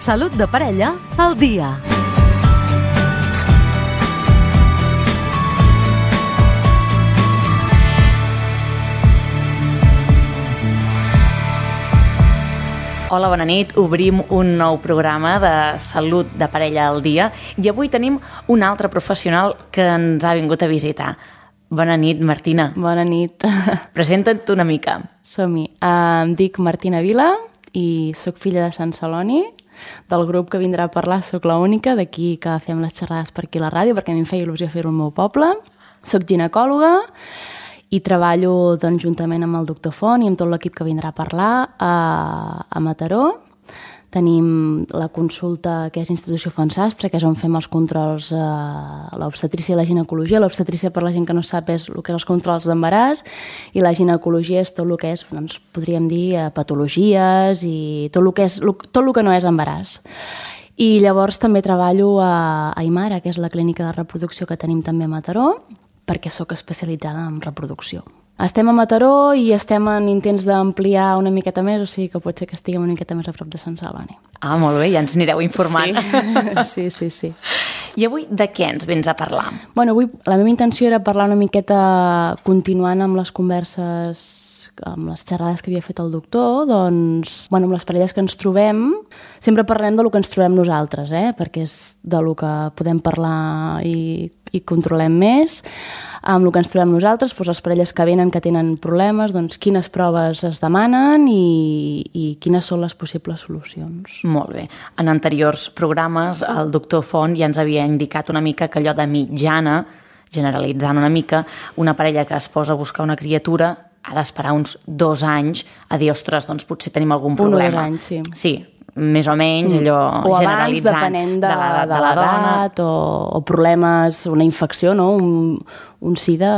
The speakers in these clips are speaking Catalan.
Salut de parella al dia. Hola, bona nit. Obrim un nou programa de Salut de parella al dia i avui tenim un altre professional que ens ha vingut a visitar. Bona nit, Martina. Bona nit. Presenta't una mica. Som-hi. Em dic Martina Vila i sóc filla de Sant Celoni. Del grup que vindrà a parlar sóc l'única, d'aquí que fem les xerrades per aquí a la ràdio, perquè a mi em feia il·lusió fer-ho al meu poble. Soc ginecòloga i treballo doncs, juntament amb el doctor Font i amb tot l'equip que vindrà a parlar a Mataró. Tenim la consulta que és Institució Font Sastre, que és on fem els controls, l'obstetrícia i la ginecologia. L'obstetrícia, per la gent que no sap, és el que és els controls d'embaràs, i la ginecologia és tot el que és, doncs, podríem dir, patologies i tot el que no és embaràs. I llavors també treballo a Aimara, que és la clínica de reproducció que tenim també a Mataró, perquè sóc especialitzada en reproducció. Estem a Mataró i estem en intents d'ampliar una miqueta més, o sigui que pot ser que estiguem una miqueta més a prop de Sant Celoni. Ah, molt bé, ja ens anireu informant. Sí. I avui de què ens vens a parlar? Bueno, avui la meva intenció era parlar una miqueta, continuant amb les converses, amb les xerrades que havia fet el doctor, doncs, bueno, amb les parelles que ens trobem, sempre parlem del que ens trobem nosaltres, perquè és del que podem parlar i controlem més. Amb el que ens trobem nosaltres, doncs les parelles que venen que tenen problemes, doncs quines proves es demanen i quines són les possibles solucions. Molt bé. En anteriors programes el doctor Font ja ens havia indicat una mica que allò de mitjana, generalitzant una mica, una parella que es posa a buscar una criatura ha d'esperar uns 2 anys a dir, ostres, doncs potser tenim algun problema. 1 o 2 anys, sí. Sí, més o menys, allò o generalitzant. O abans, depenent de l'edat, o problemes, una infecció, no? Un SIDA,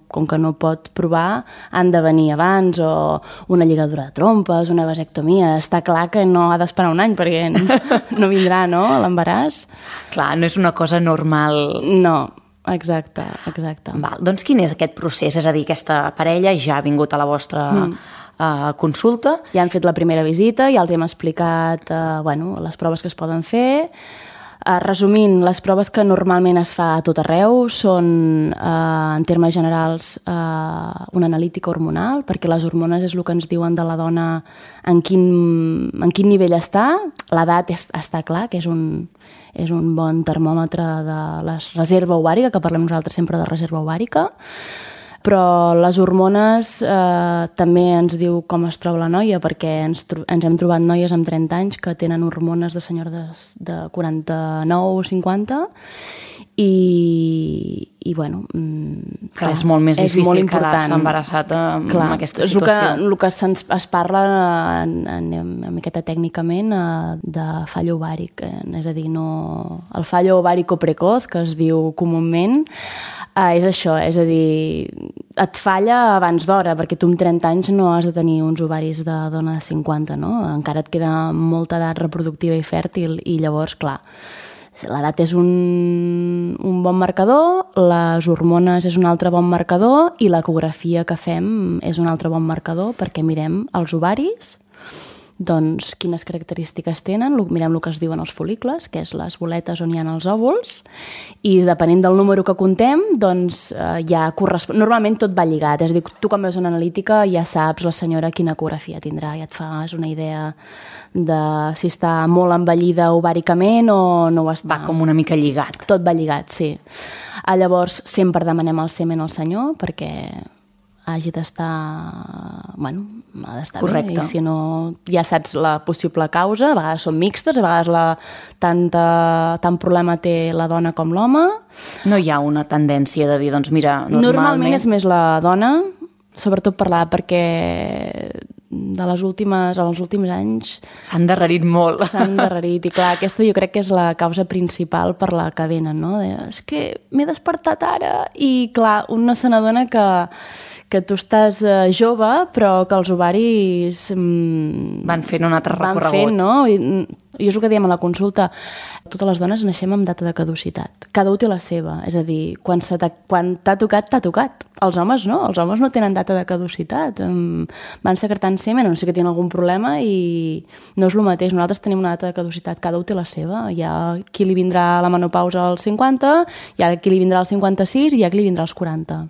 com que no pot provar, han de venir abans, o una lligadura de trompes, una vasectomia. Està clar que no ha d'esperar 1 any, perquè no vindrà, no?, l'embaràs. Clar, no és una cosa normal. No. Exacte. Val, doncs quin és aquest procés? És a dir, aquesta parella ja ha vingut a la vostra consulta. Ja han fet la primera visita, ja els hem explicat les proves que es poden fer. Resumint, les proves que normalment es fa a tot arreu són, en termes generals, una analítica hormonal, perquè les hormones és el que ens diuen de la dona en quin nivell està. L'edat està clar, que és un bon termòmetre de la reserva ovàrica, que parlem nosaltres sempre de reserva ovàrica, però les hormones també ens diu com es troba la noia, perquè ens hem trobat noies amb 30 anys que tenen hormones de senyores de 49 o 50, i bueno... Clar, és molt més difícil quedar-se embarassat en aquesta situació. El que es parla una miqueta tècnicament de fall ovàric, és a dir, el fall ovàrico precoz, que es diu comúment, és això, és a dir, et falla abans d'hora, perquè tu amb 30 anys no has de tenir uns ovaris de dona de 50, no? Encara et queda molta edat reproductiva i fèrtil, i llavors, clar, l'edat és un bon marcador, les hormones és un altre bon marcador i l'ecografia que fem és un altre bon marcador, perquè mirem els ovaris, doncs quines característiques tenen, mirem el que es diuen els fol·licles, que és les boletes on hi ha els òvuls, i depenent del número que contem, doncs ja correspon... Normalment tot va lligat, és a dir, tu quan veus una analítica ja saps la senyora quina ecografia tindrà, ja et fas una idea de si està molt envellida ovàricament o no ho està. Va com una mica lligat. Tot va lligat, sí. Llavors sempre demanem el semen al senyor perquè hagi d'estar... Bueno, ha d'estar correcte. Bé, i si no ja saps la possible causa, a vegades són mixtes, a vegades tant problema té la dona com l'home. No hi ha una tendència de dir, doncs mira, normalment és més la dona, sobretot per l'edat, perquè en els últims anys s'han endarrerit molt. S'han endarrerit, i clar, aquesta jo crec que és la causa principal per la que venen, no? És que m'he despertat ara, i clar, un no se n'adona que tu estàs jove, però que els ovaris... Van fent un altre recorregut. Van fent, no? I és el que diem a la consulta. Totes les dones naixem amb data de caducitat. Cada un té la seva. És a dir, quan t'ha tocat, t'ha tocat. Els homes no. Els homes no tenen data de caducitat. Van secretant semen, no sé que tenen algun problema i no és el mateix. Nosaltres tenim una data de caducitat. Cada un té la seva. Hi ha qui li vindrà la menopausa als 50, hi ha qui li vindrà als 56 i hi ha qui li vindrà als 40.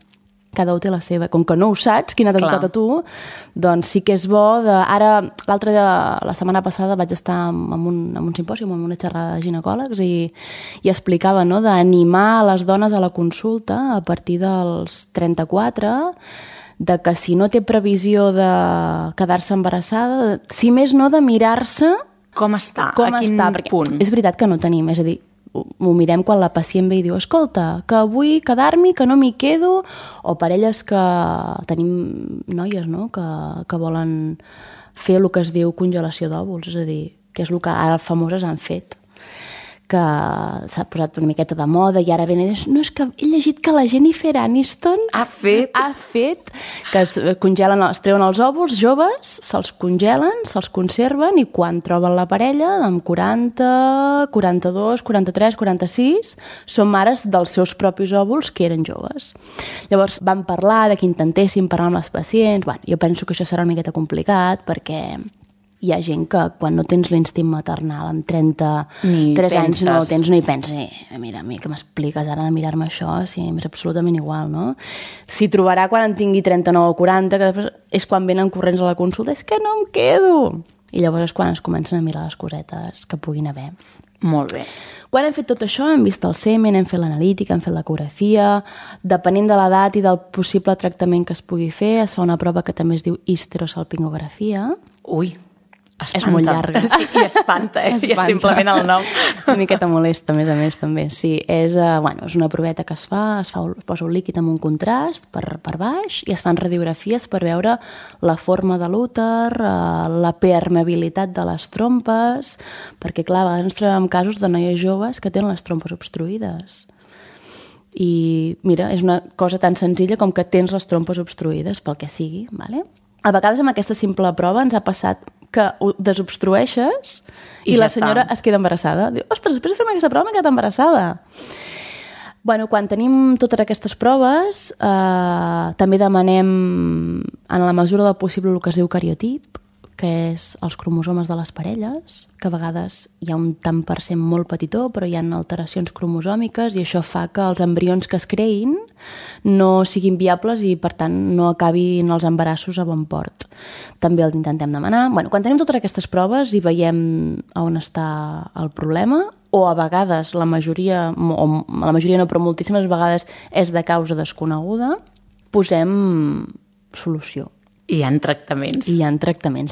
Cada un té la seva. Com que no ho saps, quina t'ha tocat a tu, doncs sí que és bo Ara, la setmana passada vaig estar en un simpòsium, en una xerrada de ginecòlegs i explicava, no?, d'animar les dones a la consulta a partir dels 34, de que si no té previsió de quedar-se embarassada, si més no, de mirar-se com està, a quin punt. És veritat que no tenim, és a dir, ho mirem quan la pacient ve i diu escolta, que vull quedar-m'hi, que no m'hi quedo, o parelles que tenim noies, no?, que volen fer el que es diu congelació d'òvuls, és a dir, que és el que ara famoses han fet, que s'ha posat una miqueta de moda i ara ven i dius, no, és que he llegit que la Jennifer Aniston ha fet que es treuen els òvuls joves, se'ls congelen, se'ls conserven i quan troben la parella, amb 40, 42, 43, 46, són mares dels seus propis òvuls que eren joves. Llavors vam parlar de que intentéssim parlar amb les pacients. Bueno, jo penso que això serà una miqueta complicat perquè hi ha gent que quan no tens l'instint maternal amb 33 anys no ho tens, no hi pensi. Mira, a mi que m'expliques ara de mirar-me això, si m'és absolutament igual, no? S'hi trobarà quan en tingui 39 o 40, que després és quan venen corrents a la consulta, és que no em quedo. I llavors és quan es comencen a mirar les cosetes que puguin haver. Molt bé. Quan hem fet tot això, hem vist el semen, hem fet l'analítica, hem fet l'ecografia, depenent de l'edat i del possible tractament que es pugui fer, es fa una prova que també es diu histerosalpingografia. Ui, espanta. És molt llarga. Sí, i espanta, ja simplement el nom. Una miqueta molesta, a més, també. Sí, és una proveta que es posa un líquid amb un contrast per baix i es fan radiografies per veure la forma de l'úter, la permeabilitat de les trompes, perquè, clar, a vegades ens trobem casos de noies joves que tenen les trompes obstruïdes. I, mira, és una cosa tan senzilla com que tens les trompes obstruïdes, pel que sigui, ¿vale? A vegades amb aquesta simple prova ens ha passat que ho desobstrueixes i la senyora es queda embarassada. Diu, ostres, després de fer-me aquesta prova m'he quedat embarassada. Bueno, quan tenim totes aquestes proves, també demanem, en la mesura del possible, el que es diu cariotip, que és els cromosomes de les parelles, que a vegades hi ha un tant per cent molt petitó, però hi ha alteracions cromosòmiques i això fa que els embrions que es creïn no siguin viables i, per tant, no acabin els embarassos a bon port. També el intentem demanar. Bueno, quan tenim totes aquestes proves i veiem on està el problema, o a vegades, la majoria no, però moltíssimes vegades és de causa desconeguda, posem solució. I hi ha tractaments.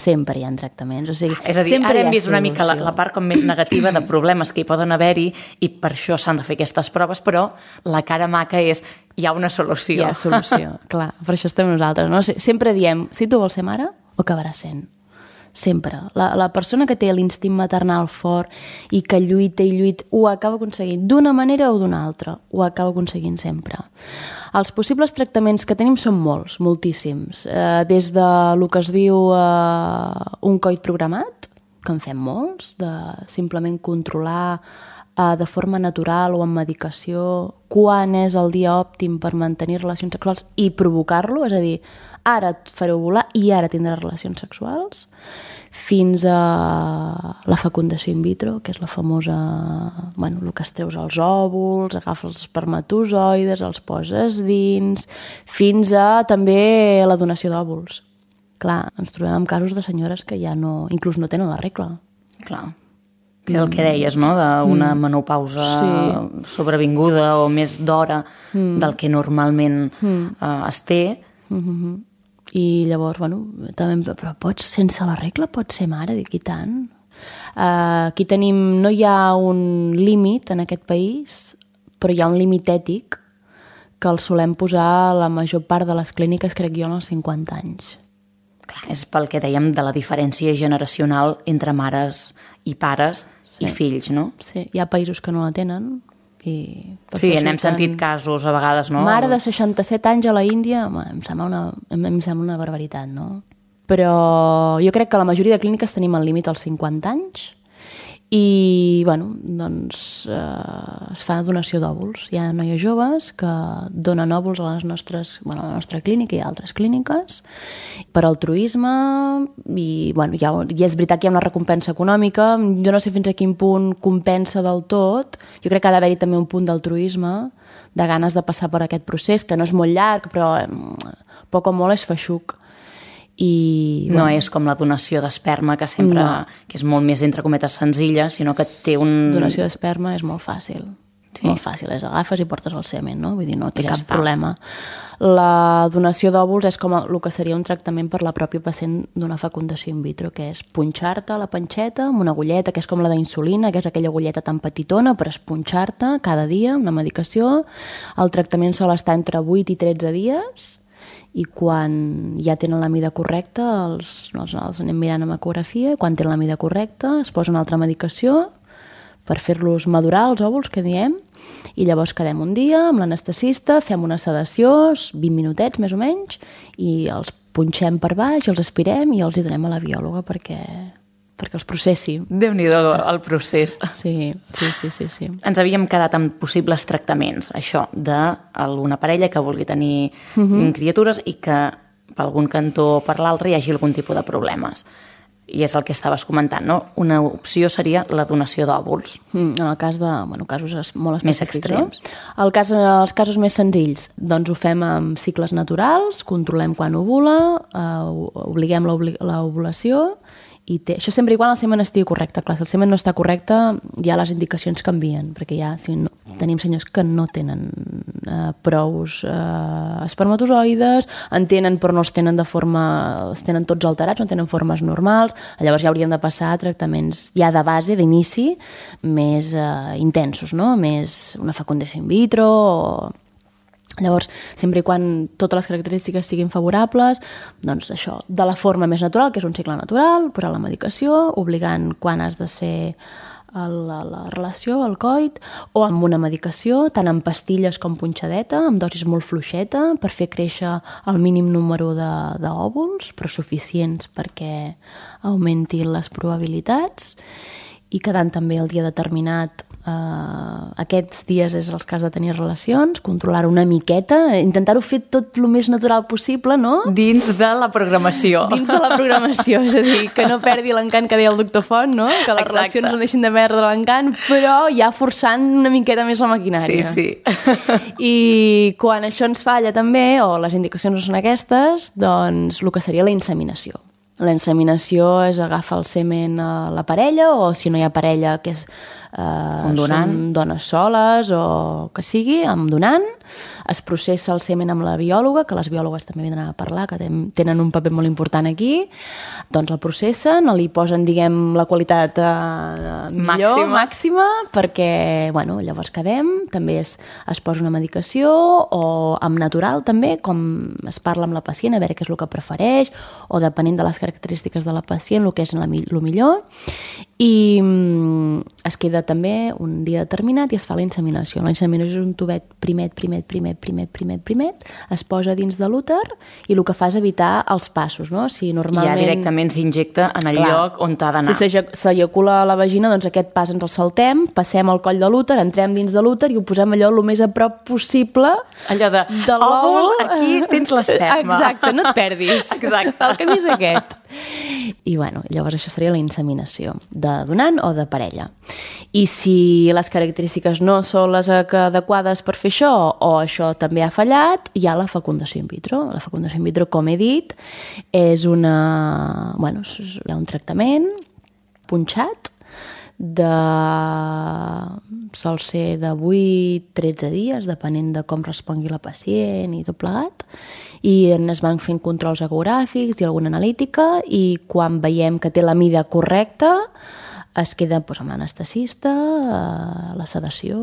Sempre hi ha tractaments. O sigui, és a dir, ara hem vist una mica la part com més negativa de problemes que hi poden haver-hi i per això s'han de fer aquestes proves, però la cara maca és hi ha una solució. Hi ha solució, clar, per això estem nosaltres. No? Sempre diem, si tu vols ser mare, ho acabaràs sent. Sempre. La persona que té l'instint maternal fort i que lluita i lluita, ho acaba aconseguint d'una manera o d'una altra. Ho acaba aconseguint sempre. Els possibles tractaments que tenim són molts, moltíssims. Des de lo que es diu un coit programat, que en fem molts, de simplement controlar de forma natural o amb medicació quan és el dia òptim per mantenir relacions sexuals i provocar-lo, és a dir, ara et faré ovular i ara tindràs relacions sexuals, fins a la fecundació in vitro, que és la famosa, el que es treus als òvuls, agafes els espermatozoides, els poses dins, fins a també la donació d'òvuls. Clar, ens trobem amb casos de senyores que ja no, inclús no tenen la regla. Clar. Que és el que deies, no?, d'una menopausa sobrevinguda o més d'hora del que normalment es té. I llavors, també, però sense la regla pots ser mare, dic, i tant. Aquí tenim, no hi ha un límit en aquest país, però hi ha un límit ètic que el solem posar a la major part de les clíniques, crec jo, als 50 anys. Clar, és pel que dèiem de la diferència generacional entre mares i pares i fills, no? Sí, hi ha països que no la tenen Sí, n'hem sentit casos a vegades, no? Mare de 67 anys a la Índia, em sembla una barbaritat, no? Però jo crec que la majoria de clíniques tenim el límit als 50 anys i, bueno, doncs es fa donació d'òvuls. Hi ha noies joves que donen òvuls a la nostra clínica i a altres clíniques per altruisme i, bueno, ja és veritat que hi ha una recompensa econòmica. Jo no sé fins a quin punt compensa del tot. Jo crec que ha d'haver-hi també un punt d'altruisme, de ganes de passar per aquest procés, que no és molt llarg, però poc o molt és feixuc. I, no és com la donació d'esperma, que sempre que és molt més, entre cometes, senzilla, sinó que té un... Donació d'esperma és molt fàcil. Molt fàcil, agafes i portes el semen, no? Vull dir, no té cap problema. La donació d'òvuls és com el que seria un tractament per la pròpia pacient d'una fecundació in vitro, que és punxar-te la panxeta amb una agulleta, que és com la d'insulina, que és aquella agulleta tan petitona, però és punxar-te cada dia una medicació. El tractament sol estar entre 8 i 13 dies i quan ja tenen la mida correcta, els anem mirant amb ecografia, quan tenen la mida correcta es posa una altra medicació per fer-los madurar, els òvuls, que diem, i llavors quedem un dia amb l'anestesista, fem una sedació, 20 minutets més o menys, i els punxem per baix, els aspirem i els hi donem a la biòloga perquè els processi. Déu-n'hi-do el procés. Sí. Ens havíem quedat amb possibles tractaments, això, d'alguna parella que vulgui tenir criatures i que per algun cantó o per l'altre hi hagi algun tipus de problemes. I és el que estaves comentant, no? Una opció seria la donació d'òvuls. En el cas de casos molt més extrems. Els casos més senzills, doncs ho fem amb cicles naturals, controlem quan ovula, obliguem l'ovulació. Això sempre igual el semen estigui correcte. Clar, si el semen no està correcte, ja les indicacions canvien, perquè ja tenim senyors que no tenen prous espermatozoides, en tenen però no els tenen els tenen tots alterats, no tenen formes normals, llavors ja hauríem de passar a tractaments ja de base, d'inici, més intensos, no? Més una fecundació in vitro o... Llavors, sempre i quan totes les característiques siguin favorables, doncs això, de la forma més natural, que és un cicle natural, posar la medicació, obligant quan has de ser la relació, el coit, o amb una medicació, tant en pastilles com punxadeta, amb dosis molt fluixeta, per fer créixer el mínim número d'òvuls, però suficients perquè augmentin les probabilitats, i quedant també el dia determinat. Aquests dies és el cas de tenir relacions, controlar-ho una miqueta, intentar-ho fer tot el més natural possible, no? Dins de la programació. Dins de la programació, és a dir, que no perdi l'encant que deia el doctor Font, no? Que les relacions no deixin de perdre l'encant, però ja forçant una miqueta més la maquinària. Sí. I quan això ens falla també, o les indicacions no són aquestes, doncs el que seria la inseminació. La inseminació és agafar el semen a la parella, o si no hi ha parella, que és són dones soles o que sigui, amb donant. Es processa el semen amb la biòloga, que les biòlogues també venen a parlar, que tenen un paper molt important aquí. Doncs el processen, li posen, diguem, la qualitat màxima, perquè, bueno, llavors quedem. També es posa una medicació, o amb natural també, com es parla amb la pacient, a veure què és el que prefereix, o depenent de les característiques de la pacient, el que és el millor. I es queda també un dia determinat i es fa la inseminació. La inseminació és un tubet primet, es posa dins de l'úter i el que fa és evitar els passos, no? Si normalment... Ja directament s'injecta en el lloc on t'ha d'anar. Si s'eyacula a la vagina, doncs aquest pas ens el saltem, passem al coll de l'úter, entrem dins de l'úter i ho posem allò el més a prop possible allò de l'òvul. Aquí tens l'esperma. Exacte, no et perdis. Exacte. El camí és aquest. I bueno, llavors això seria la inseminació, de donant o de parella. I si les característiques no són les adequades per fer això, o això també ha fallat, hi ha la fecundació in vitro. La fecundació in vitro, com he dit, és hi ha un tractament punxat, sol ser de 8-13 dies, depenent de com respongui la pacient i tot plegat, i es van fent controls ecogràfics i alguna analítica, i quan veiem que té la mida correcta es queda amb l'anestesista, la sedació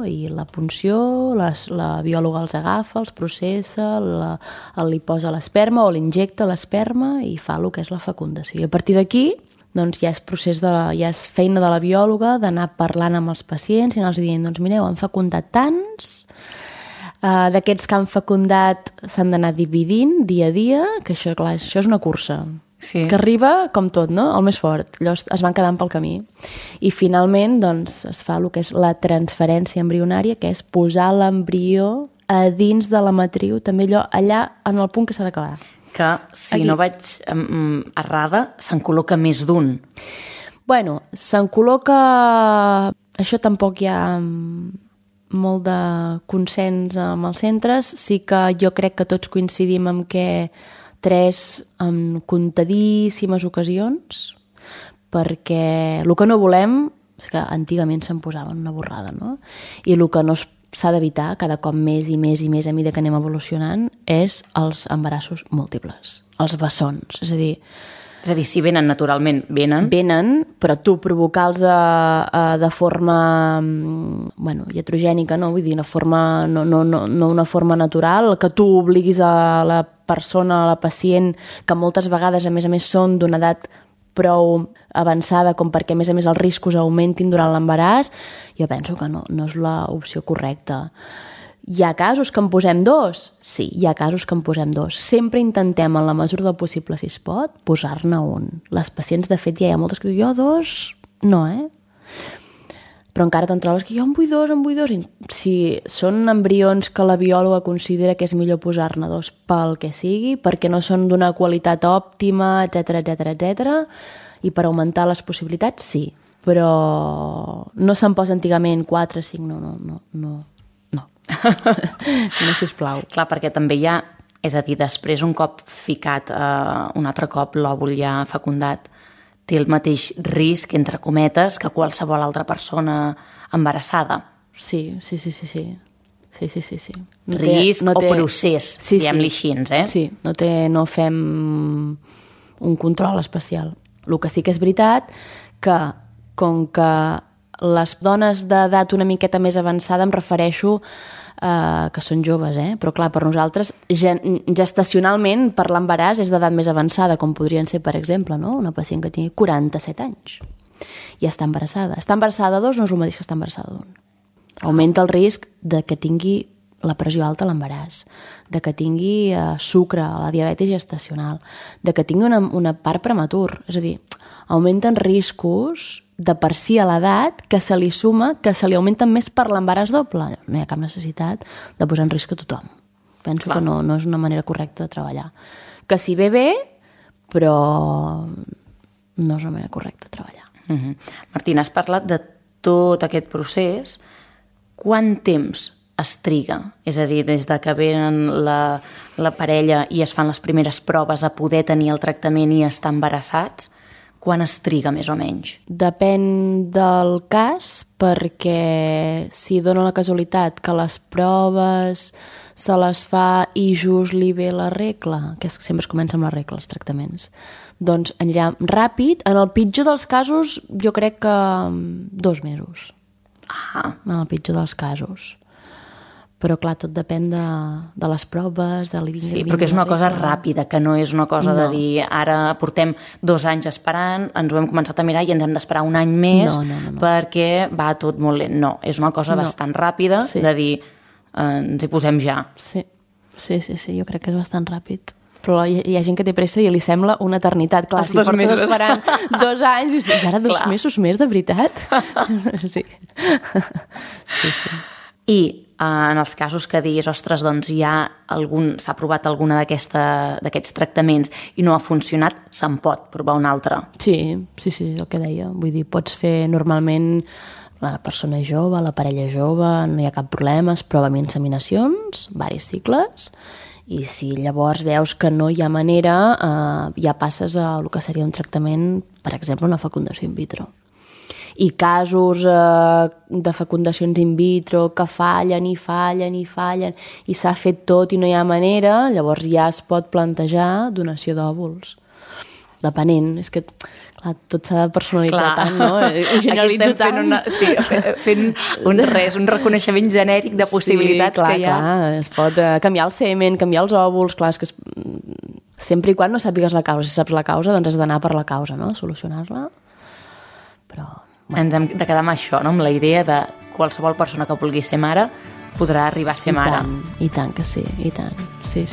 i la punció, la biòloga els agafa, els processa, li posa l'esperma o l'injecta l'esperma i fa el que és la fecundació. I a partir d'aquí doncs ja és feina de la biòloga d'anar parlant amb els pacients i anar-los dient, doncs mireu, han fecundat tants, d'aquests que han fecundat s'han d'anar dividint dia a dia, que això, clar, això és una cursa. Sí. Que arriba, com tot, no? El més fort. Llavors es van quedant pel camí. I finalment doncs, es fa el que és la transferència embrionària, que és posar l'embrió a dins de la matriu, també allà en el punt que s'ha d'acabar. Que, si aquí no vaig errada, se'n col·loca més d'un. Bueno, se'n col·loca... Això tampoc hi ha molt de consens amb els centres. Sí que jo crec que tots coincidim en què 3 en comptadíssimes ocasions, perquè el que no volem és que antigament se'n posaven una borrada, no? I el que no s'ha d'evitar cada cop més i més i més a mesura que anem evolucionant és els embarassos múltiples, els bessons, és a dir, si venen naturalment, venen. Venen, però tu provocar-los de forma iatrogènica, no? Vull dir, no una forma natural, que tu obliguis a la persona, a la pacient, que moltes vegades, a més, són d'una edat prou avançada com perquè, a més, els riscos augmentin durant l'embaràs, jo penso que no és l'opció correcta. Hi ha casos que en posem 2? Sí, hi ha casos que en posem 2. Sempre intentem, en la mesura del possible, si es pot, posar-ne un. Les pacients, de fet, ja hi ha moltes que diuen, jo 2, no, Però encara te'n trobes que jo en vull 2. I si són embrions que la biòloga considera que és millor posar-ne 2 pel que sigui, perquè no són d'una qualitat òptima, etc, i per augmentar les possibilitats, sí. Però no se'n posa antigament 4, 5, no. No, sisplau. Clar, perquè també hi ha, és a dir, després un cop ficat, un altre cop l'òvul ja fecundat, té el mateix risc, entre cometes, que qualsevol altra persona embarassada. Sí. Risc o procés, diguem-li així, Sí, no fem un control especial. El que sí que és veritat que, com que les dones d'edat una miqueta més avançada, em refereixo que són joves, però clar, per nosaltres gestacionalment per l'embaràs és d'edat més avançada, com podrien ser, per exemple, no? Una pacient que tingui 47 anys i està embarassada. Està embarassada de 2 no és el mateix que està embarassada d'1. Augmenta el risc de que tingui la pressió alta a l'embaràs, de que tingui sucre, la diabetis gestacional, de que tingui una part prematur. És a dir, augmenten riscos de per si a l'edat que se li suma, que se li augmenten més per l'embaràs doble. No hi ha cap necessitat de posar en risc a tothom. Penso que no és una manera correcta de treballar. Que si ve bé, però no és una manera correcta de treballar. Martina, has parlat de tot aquest procés. Quant temps es triga? És a dir, des de que venen la parella i es fan les primeres proves a poder tenir el tractament i estar embarassats, quan es triga més o menys? Depèn del cas, perquè si dona la casualitat que les proves se les fa i just li ve la regla, que sempre es comença amb la regla, els tractaments, doncs anirà ràpid. En el pitjor dels casos, jo crec que 2 mesos. En el pitjor dels casos. Però, clar, tot depèn de les proves, de l'iving. Sí, però que és una cosa ràpida, que no és una cosa de dir ara portem 2 anys esperant, ens ho hem començat a mirar i ens hem d'esperar un any més perquè va tot molt lent. No, és una cosa bastant ràpida de dir ens hi posem ja. Sí, jo crec que és bastant ràpid. Però hi ha gent que té pressa i li sembla una eternitat. Clar, si portes esperant 2 anys i ara 2 mesos més, de veritat? Sí. I en els casos que diguis, ostres, doncs s'ha provat alguna d'aquests tractaments i no ha funcionat, se'n pot provar un altre. Sí, el que deia. Vull dir, pots fer normalment la persona jove, la parella jove, no hi ha cap problema, es prova amb inseminacions, diversos cicles, i si llavors veus que no hi ha manera, ja passes a el que seria un tractament, per exemple, una fecundació in vitro. I casos de fecundacions in vitro que fallen i s'ha fet tot i no hi ha manera, llavors ja es pot plantejar donació d'òvuls. Depenent, és que clar, tot s'ha de personalitzar tant, no? Ho generalitzo tant. Fent un reconeixement genèric de possibilitats que hi ha. Clar, es pot canviar el semen, canviar els òvuls, clar, és que sempre i quan no sàpigues la causa. Si saps la causa, doncs has d'anar per la causa, no? Solucionar-la. Però... Ens hem de quedar amb això, no? Amb la idea de qualsevol persona que vulgui ser mare podrà arribar a ser mare. I tant que sí, i tant. Sí.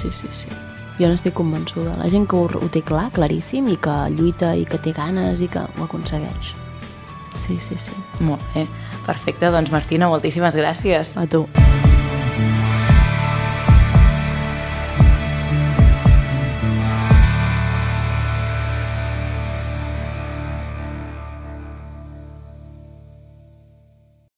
Jo n'estic convençuda. La gent que ho té clar, claríssim, i que lluita i que té ganes i que ho aconsegueix. Sí. Molt bé, perfecte. Doncs Martina, moltíssimes gràcies. A tu.